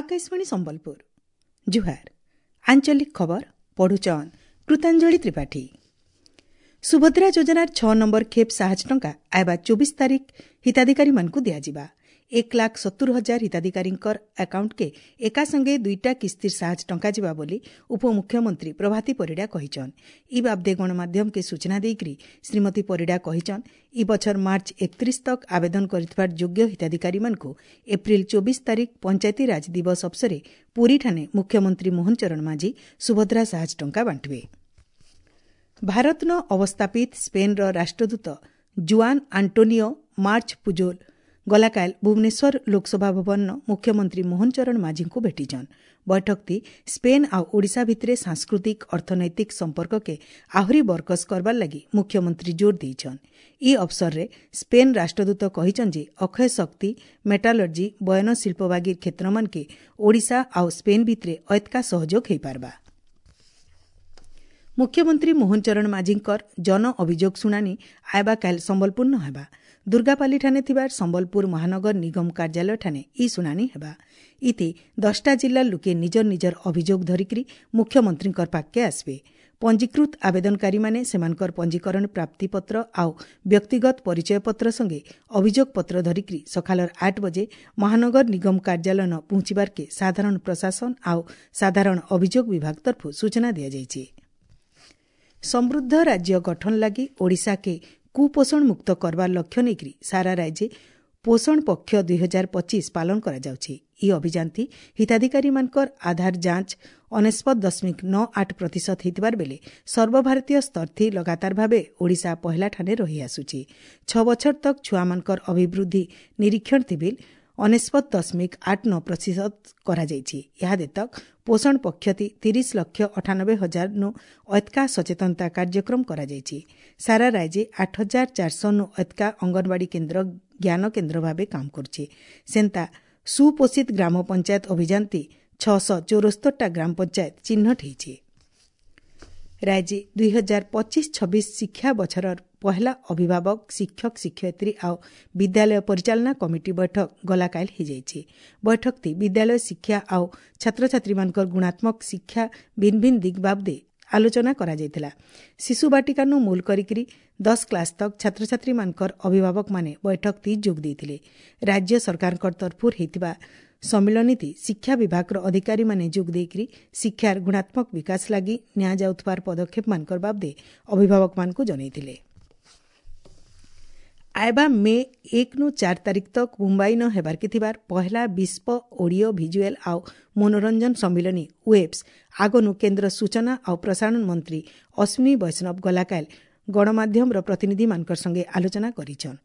ଆକାଶବାଣୀ ସମ୍ବଲପୁର। ଜୁହାର। ଆଞ୍ଚଳିକ ଖବର ପଢୁଛନ୍ କୃତାଞ୍ଜଳି ତ୍ରିପାଠୀ। ସୁଭଦ୍ରା ଯୋଜନାର 6 ନମ୍ବର ଖେପ୍ ସାହାଯ୍ୟ ଟଙ୍କା ଆଇବା 24 ତାରିଖ ହିତାଧିକାରୀମାନଙ୍କୁ ଦିଆଯିବା। 1,70,000 ହିତାଧିକାରୀଙ୍କର ଆକାଉଣ୍ଟକେ ଏକା ସଙ୍ଗେ ଦୁଇଟା କିସ୍ତିର ସାହାଯ୍ୟ ଟଙ୍କା ଯିବା ବୋଲି ଉପମୁଖ୍ୟମନ୍ତ୍ରୀ ପ୍ରଭାତୀ ପରିଡ଼ା କହିଛନ୍। ଇ ବାବଦେ ଗଣମାଧ୍ୟମକେ ସୂଚନା ଦେଇକରି ଶ୍ରୀମତୀ ପରିଡ଼ା କହିଛନ୍, ଇ ବଛର ମାର୍ଚ୍ଚ 31 ତକ୍ ଆବେଦନ କରିଥିବାର ଯୋଗ୍ୟ ହିତାଧିକାରୀମାନଙ୍କୁ ଏପ୍ରିଲ 24 ତାରିଖ ପଞ୍ଚାୟତିରାଜ ଦିବସ ଅବସରେ ପୁରୀଠାନେ ମୁଖ୍ୟମନ୍ତ୍ରୀ ମୋହନ ଚରଣ ମାଝୀ ସୁଭଦ୍ରା ସାହାଯ୍ୟ ଟଙ୍କା ବାଣ୍ଟିବେ। ଭାରତନ ଅବସ୍ଥାପିତ ସ୍ପେନ୍ର ରାଷ୍ଟ୍ରଦୂତ ଜୁଆନ୍ ଆଣ୍ଟୋନିଓ ମାର୍ଚ୍ଚ ପୁଜୋଲ ଗଲାକାଲ ଭୁବନେଶ୍ୱର ଲୋକସଭା ଭବନର ମୁଖ୍ୟମନ୍ତ୍ରୀ ମୋହନ ଚରଣ ମାଝୀଙ୍କୁ ଭେଟିଛନ୍। ବୈଠକଟି ସ୍ପେନ୍ ଆଉ ଓଡ଼ିଶା ଭିତରେ ସାଂସ୍କୃତିକ ଅର୍ଥନୈତିକ ସମ୍ପର୍କକେ ଆହୁରି ବରକସ କରବାର ଲାଗି ମୁଖ୍ୟମନ୍ତ୍ରୀ ଜୋର ଦେଇଛନ୍। ଇ ଅବସରରେ ସ୍ପେନ୍ ରାଷ୍ଟ୍ରଦୂତ କହିଛନ୍ ଯେ ଅକ୍ଷୟ ଶକ୍ତି, ମେଟାଲର୍ଜି, ବୟନ ଶିଳ୍ପ ବାଗିର କ୍ଷେତ୍ରମାନକେ ଓଡ଼ିଶା ଆଉ ସ୍ପେନ୍ ଭିତରେ ଐତକା ସହଯୋଗ ହୋଇପାରବା। ମୁଖ୍ୟମନ୍ତ୍ରୀ ମୋହନ ଚରଣ ମାଝୀଙ୍କର ଜନ ଅଭିଯୋଗ ଶୁଣାଣି ଆଇବା କାଲ ସମ୍ବଲପୁର ନ ହେବା। ଦୁର୍ଗାପାଲିଠାନେ ଥିବା ସମ୍ବଲପୁର ମହାନଗର ନିଗମ କାର୍ଯ୍ୟାଳୟଠାନେ ଇ ଶୁଣାଣି ହେବା। ଇତି 10ଟା ଜିଲ୍ଲାର ଲୋକେ ନିଜର ନିଜର ଅଭିଯୋଗ ଧରିକରି ମୁଖ୍ୟମନ୍ତ୍ରୀଙ୍କର ପାଖକେ ଆସିବେ। ପଞ୍ଜୀକୃତ ଆବେଦନକାରୀମାନେ ସେମାନଙ୍କର ପଞ୍ଜୀକରଣ ପ୍ରାପ୍ତିପତ୍ର ଆଉ ବ୍ୟକ୍ତିଗତ ପରିଚୟପତ୍ର ସଙ୍ଗେ ଅଭିଯୋଗ ପତ୍ର ଧରିକରି ସକାଳର 8 ବଜେ ମହାନଗର ନିଗମ କାର୍ଯ୍ୟାଳୟ ପହଞ୍ଚିବାରକେ ସାଧାରଣ ପ୍ରଶାସନ ଆଉ ସାଧାରଣ ଅଭିଯୋଗ ବିଭାଗ ତରଫରୁ ସୂଚନା ଦିଆଯାଇଛି। ସମୃଦ୍ଧ ରାଜ୍ୟ ଗଠନ ଲାଗି ଓଡ଼ିଶାକେ କୁପୋଷଣ ମୁକ୍ତ କରବାର ଲକ୍ଷ୍ୟ ନେଇକରି ସାରା ରାଜ୍ୟେ ପୋଷଣ ପକ୍ଷ 2025 ପାଳନ କରାଯାଉଛି। ଇ ଅଭିଯାନଥି ହିତାଧିକାରୀମାନଙ୍କର ଆଧାର ଯାଞ୍ଚ 99.98% ହେଇଥିବାର ବେଲେ ସର୍ବଭାରତୀୟ ସ୍ତରଥି ଲଗାତାର ଭାବେ ଓଡ଼ିଶା ପହିଲାଠାନେ ରହିଆସୁଛି। 6 ବଛର ତକ୍ ଛୁଆମାନଙ୍କର ଅଭିବୃଦ୍ଧି ନିରୀକ୍ଷଣ ଥିବିଲ୍ 99.89% କରାଯାଇଛି। ଇହାଦେ ତକ୍ ପୋଷଣ ପକ୍ଷତି 30,98,000 ନୁ ଐତକା ସଚେତନତା କାର୍ଯ୍ୟକ୍ରମ କରାଯାଇଛି। ସାରା ରାଜ୍ୟେ 8,400 ନୁ ଐତକା ଅଙ୍ଗନବାଡ଼ି କେନ୍ଦ୍ର ଜ୍ଞାନ କେନ୍ଦ୍ର ଭାବେ କାମ କରୁଛି। ସେନ୍ତା ସୁପୋଷିତ ଗ୍ରାମ ପଞ୍ଚାୟତ ଅଭିଯାନତି 674ଟା ଗ୍ରାମ ପଞ୍ଚାୟତ ଚିହ୍ନଟ ହେଇଛି। ରାଜ୍ୟେ 2025-26 ଶିକ୍ଷା ବଛରର ପହେଲା ଅଭିଭାବକ, ଶିକ୍ଷକ, ଶିକ୍ଷୟିତ୍ରୀ ଆଉ ବିଦ୍ୟାଳୟ ପରିଚାଳନା କମିଟି ବୈଠକ ଗଲାକାଲ ହେଇଯାଇଛି। ବୈଠକଟି ବିଦ୍ୟାଳୟ ଶିକ୍ଷା ଆଉ ଛାତ୍ରଛାତ୍ରୀମାନଙ୍କର ଗୁଣାତ୍ମକ ଶିକ୍ଷା ଭିନ୍ନ ଭିନ୍ନ ଦିଗ ବାବଦେ ଆଲୋଚନା କରାଯାଇଥିଲା। ଶିଶୁ ବାଟିକାନୁ ମୂଲ କରିକିରି 10 କ୍ଲାସ୍ ତକ୍ ଛାତ୍ରଛାତ୍ରୀମାନଙ୍କର ଅଭିଭାବକମାନେ ବୈଠକଟି ଯୋଗ ଦେଇଥିଲେ। ରାଜ୍ୟ ସରକାରଙ୍କ ତରଫରୁ ହେଇଥିବା ସମ୍ମିଳନୀତି ଶିକ୍ଷା ବିଭାଗର ଅଧିକାରୀମାନେ ଯୋଗ ଦେଇକରି ଶିକ୍ଷାର ଗୁଣାତ୍ମକ ବିକାଶ ଲାଗି ନିଆଯାଉଥିବାର ପଦକ୍ଷେପମାନଙ୍କର ବାବଦେ ଅଭିଭାବକମାନଙ୍କୁ ଜଣାଇଥିଲେ। ଆଇବା ମେ 1 ନୁ 4 ତାରିଖ ତକ୍ ମୁମ୍ବାଇ ନ ହେବାର୍କେ ଥିବାର ପହେଲା ବିଶ୍ୱ ଅଡିଓ ଭିଜୁଆଲ ଆଉ ମନୋରଞ୍ଜନ ସମ୍ମିଳନୀ ୱେବ୍ସ ଆଗନୁ କେନ୍ଦ୍ର ସୂଚନା ଆଉ ପ୍ରସାରଣ ମନ୍ତ୍ରୀ ଅଶ୍ୱିନୀ ବୈଷ୍ଣବ ଗଲାକାଲ ଗଣମାଧ୍ୟମର ପ୍ରତିନିଧିମାନଙ୍କର ସଙ୍ଗେ ଆଲୋଚନା କରିଛନ୍।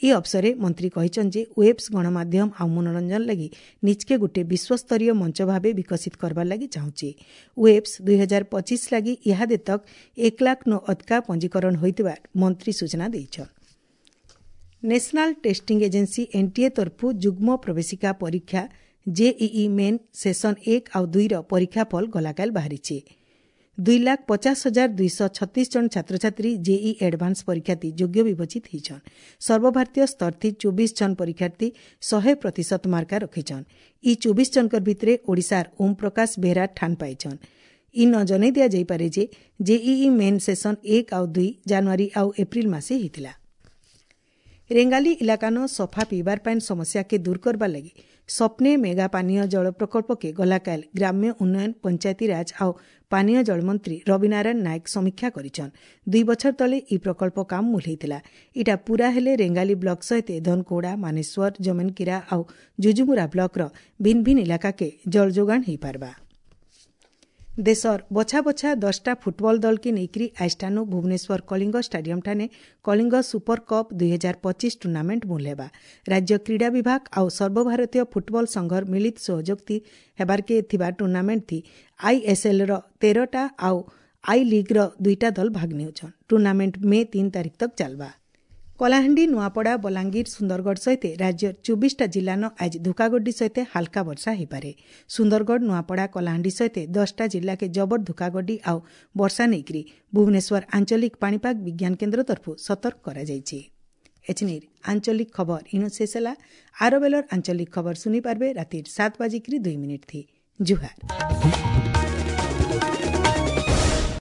ଇ ଅବସରେ ମନ୍ତ୍ରୀ କହିଛନ୍ ଯେ ୱେବ୍ସ ଗଣମାଧ୍ୟମ ଆଉ ମନୋରଞ୍ଜନ ଲାଗି ନିଜକେ ଗୋଟିଏ ବିଶ୍ୱସ୍ତରୀୟ ମଞ୍ଚ ଭାବେ ବିକଶିତ କରବାର ଲାଗି ଚାହୁଁଛି। ୱେବ୍ସ 2025 ଲାଗି ଇହାଦେ ତକ୍ 1 ଲାଖ ନୁ ଅଧିକା ପଞ୍ଜୀକରଣ ହୋଇଥିବା ମନ୍ତ୍ରୀ ସୂଚନା ଦେଇଛନ୍। ନ୍ୟାସନାଲ ଟେଷ୍ଟିଂ ଏଜେନ୍ସି ଏନ୍ଟିଏ ତରଫରୁ ଯୁଗ୍ମ ପ୍ରବେଶିକା ପରୀକ୍ଷା ଜେଇଇ ମେନ୍ ସେସନ 1 ଆଉ 2ର ପରୀକ୍ଷାଫଳ ଗଲାକାଲ ବାହାରିଛି। 2,50,236 ଜଣ ଛାତ୍ରଛାତ୍ରୀ ଜେଇଇ ଆଡଭାନ୍ସ ପରୀକ୍ଷାତି ଯୋଗ୍ୟ ବିବେଚିତ ହେଇଛନ୍। ସର୍ବଭାରତୀୟ ସ୍ତରଥି 24 ଜଣ ପରୀକ୍ଷାର୍ଥୀ 100% ମାର୍କା ରଖିଛନ୍। ଇ 24 ଜଣଙ୍କର ଭିତରେ ଓଡ଼ିଶାର ଓମ୍ ପ୍ରକାଶ ବେହେରା ଠାନ ପାଇଛନ୍। ଇ ନ ଜଣାଇ ଦିଆଯାଇପାରେ ଯେ ଜେଇଇ ମେନ୍ ସେସନ 1 ଆଉ 2 ଜାନୁଆରୀ ଆଉ ଏପ୍ରିଲ ମାସେ ହେଇଥିଲା। ରେଙ୍ଗାଲି ଇଲାକାନ ସଫା ପିଇବାର ପାଏନ୍ ସମସ୍ୟାକେ ଦୂର କରବାର ଲାଗି ସପ୍ନେ ମେଗା ପାନୀୟ ଜଳ ପ୍ରକଳ୍ପକେ ଗଲାକାଲ ଗ୍ରାମ୍ୟ ଉନ୍ନୟନ, ପଞ୍ଚାୟତିରାଜ ଆଉ ପାନୀୟ ଜଳ ମନ୍ତ୍ରୀ ରବିନାରାୟଣ ନାୟକ ସମୀକ୍ଷା କରିଛନ୍। 2 ବଛର ତଳେ ଇ ପ୍ରକଳ୍ପ କାମ ମୂଲ ହେଇଥିଲା। ଇଟା ପୂରା ହେଲେ ରେଙ୍ଗାଲି ବ୍ଲକ ସହିତ ଧନକୋଡ଼ା, ମାନେଶ୍ୱର, ଜମେନକିରା ଆଉ ଜୁଜୁମୁରା ବ୍ଲକର ଭିନ୍ନ ଭିନ୍ନ ଇଲାକାକେ ଜଳ ଯୋଗାଣ ହେଇପାରବା। ଦେଶର ବଛା ବଛା 10ଟା ଫୁଟବଲ ଦଳକେ ନେଇକରି ଆଇଷ୍ଟାନୁ ଭୁବନେଶ୍ୱର କଳିଙ୍ଗ ଷ୍ଟାଡିୟମଠାନେ କଳିଙ୍ଗ ସୁପର କପ୍ 2025 ଟୁର୍ଣ୍ଣାମେଣ୍ଟ ମୂଲ ହେବା। ରାଜ୍ୟ କ୍ରୀଡ଼ା ବିଭାଗ ଆଉ ସର୍ବଭାରତୀୟ ଫୁଟବଲ ସଂଘର ମିଳିତ ସହଯୋଗଥି ହେବାରକେ ଥିବା ଟୁର୍ଣ୍ଣାମେଣ୍ଟଥି ଆଇଏସ୍ଏଲ୍ର 13ଟା ଆଉ I ଲିଗ୍ର 2ଟା ଦଳ ଭାଗ ନେଉଛନ୍। ଟୁର୍ଣ୍ଣାମେଣ୍ଟ ମେ 3 ତାରିଖ ତକ୍ ଚାଲବା। କଳାହାଣ୍ଡି, ନୂଆପଡ଼ା, ବଲାଙ୍ଗୀର, ସୁନ୍ଦରଗଡ଼ ସହିତ ରାଜ୍ୟର 24ଟା ଜିଲ୍ଲାନ ଆଜି ଧୁକାଗଡ୍ଡି ସହିତ ହାଲକା ବର୍ଷା ହୋଇପାରେ। ସୁନ୍ଦରଗଡ଼, ନୂଆପଡ଼ା, କଳାହାଣ୍ଡି ସହିତ 10ଟା ଜିଲ୍ଲାକେ ଜବର ଧୁକାଗଡ୍ଡି ଆଉ ବର୍ଷା ନେଇକରି ଭୁବନେଶ୍ୱର ଆଞ୍ଚଳିକ ପାଣିପାଗ ବିଜ୍ଞାନ କେନ୍ଦ୍ର ତରଫରୁ ସତର୍କ କରାଯାଇଛି। ଏଛିନିର ଆଞ୍ଚଳିକ ଖବର ଇନୁ ଶେଷ ହେଲା। ଆର ବେଲର ଆଞ୍ଚଳିକ ଖବର ଶୁନି ପାରବେ ରାତିର 7:02 ଥି। ଜୁହାର।